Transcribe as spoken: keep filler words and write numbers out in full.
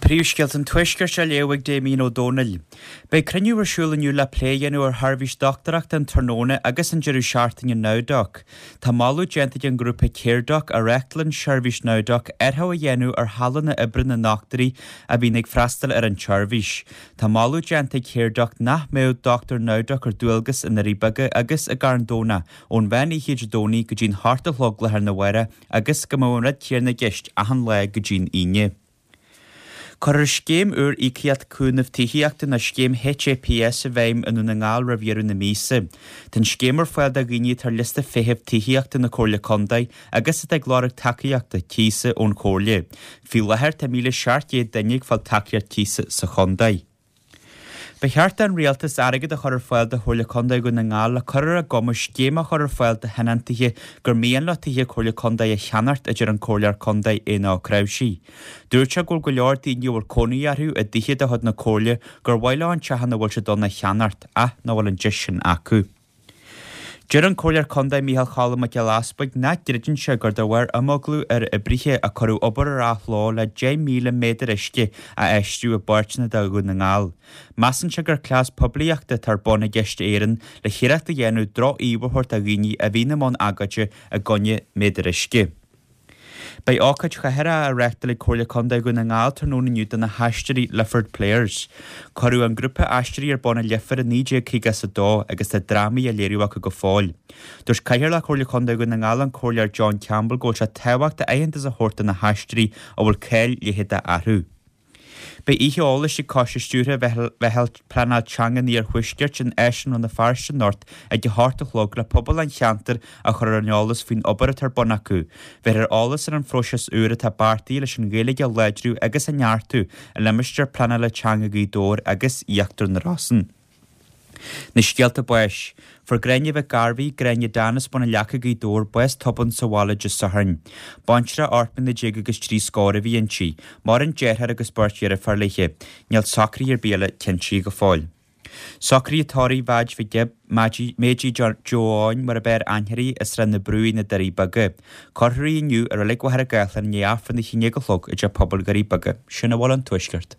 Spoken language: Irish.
Príomhscéalta an Tuaiscirt á léamh ag Damien Ó Dónaill. Beidh cruinniú ar siúl inniu le plé a dhéanamh ar sheirbhís dochtúireachta an tráthnóna agus an deireadh seachtaine NowDoc. Tá moladh déanta ag an ngrúpa CareDoc a reáchtálann seirbhís NowDoc athrú a dhéanamh ar shamhlanna oibre na ndochtúirí a bhíonn ag freastal ar an tseirbhís. Tá moladh déanta ag CareDoc nach mbeadh dochtúir NowDoc ar dualgas i nDoirí Beaga agus i gCarn Domhnach ón mheán oíche Dé Domhnaigh go dtí'n hocht a chlog lá arna mhárach agus go mbeadh an rud céanna i gceist achan lá go dtí'n Aoine. Cuirfear scéim úr íocaíocht cúnamh tithíochta nó scéim HAPS i bhfeidhm i nDún na nGall roimh dheireadh na míosa. Tá an scéim ar fáil do dhaoine atá ar liosta feithimh tithíochta na Comhairle Contae agus atá ag lorg tacaíochta cíosa ón Chomhairle. Faoi láthair tá míle seacht gcéad duine ag fáil tacaíocht cíosa sa chontae. Ba cheart don rialtas airgead a chur ar fáil do Chomhairle Contae Dhún na nGall le cur ar a gcumas scéim a chur ar fáil do thionóntaithe gur mian leo tithe Comhairle Contae a cheannacht, a deir an Comhairleoir Contae Éanna Ó Cnáimhsí. Dúirt sé go bhfuil go leor daoine a bhfuil cónaí orthu i dtithe de chuid na Comhairle gur mhaith leo an teach ina bhfuil siad ann a cheannacht ach nach bhfuil an deis sin acu. Deir an Comhairleoir Contae Micheál Cholm Mac Giolla Easbuig nach gcreideann sé gur de bharr imeaglú ar oibrithe a cuireadh obair ar athló le deich míle méadar uisce a fheistiú i bpáirteanna de Dhún na nGall. Measann sé gur cleas poiblíochta atá ar bun ag Uisce Éireann le hiarracht a dhéanamh droch-íomha a thabhairt do dhaoine a bhíonn i mbun agóide i gcoinne méadair uisce. Beidh ócáid chathartha á reáchtáil ag Comhairle Contae Dhún na nGall tráthnóna inniu do na hAisteoirí Lifford Players. Cuireadh an grúpa aisteoirí ar bun i Leifear i naoi déag caoga is a dó agus tá drámaí á léiriú acu go fóill. Dúirt Cathaoirleach Chomhairle Contae Dhún na nGall an Comhairleoir John Campbell go bhfuil sé tábhachtach aitheantas a thabhairt do na haisteoirí a bhfuil cáil leitheadach orthu. Beidh oíche eolais ag Coiste Stiúrtha Mheitheal Pleanáil Teanga an Iarthuaiscirt in Áislann Rann na Feirste anocht ag a hocht a chlog le pobal an cheantair a chur ar an eolas faoin obair atá ar bun acu. Beifear ar eolas ar an phróiseas úr atá beartaithe leis an Ghaeilge a láidriú agus a neartú i limistéar pleanála teanga Ghaoth Dobhair agus Íochtar na Rosann. Na scéalta báis. Fuair Gráinne Mhic Gairbhí, Gráinne Dan as Bun an Leaca, Gaoth Dobhair, bás tobann sa bhaile Dé Sathairn. Baintreach ocht mbliana déag agus trí scór a bhí inti. Maireann deartháir agus beirt dheirféar léi. Níl socruithe ar bith eile cinntithe go fóill. Socruithe tórraimh Mheaid Mhic Gibb, Méidí Joe Eoin mar ab fhearr aithne uirthi i Srath na Brú na Doirí Beaga. Cuirfear í inniu i Reilig Mhachaire Gathlán i ndiaidh Aifreann a haon déag a chlog i dTeach Pobail Dhoirí Beaga. Sin a bhfuil ón Tuaisceart.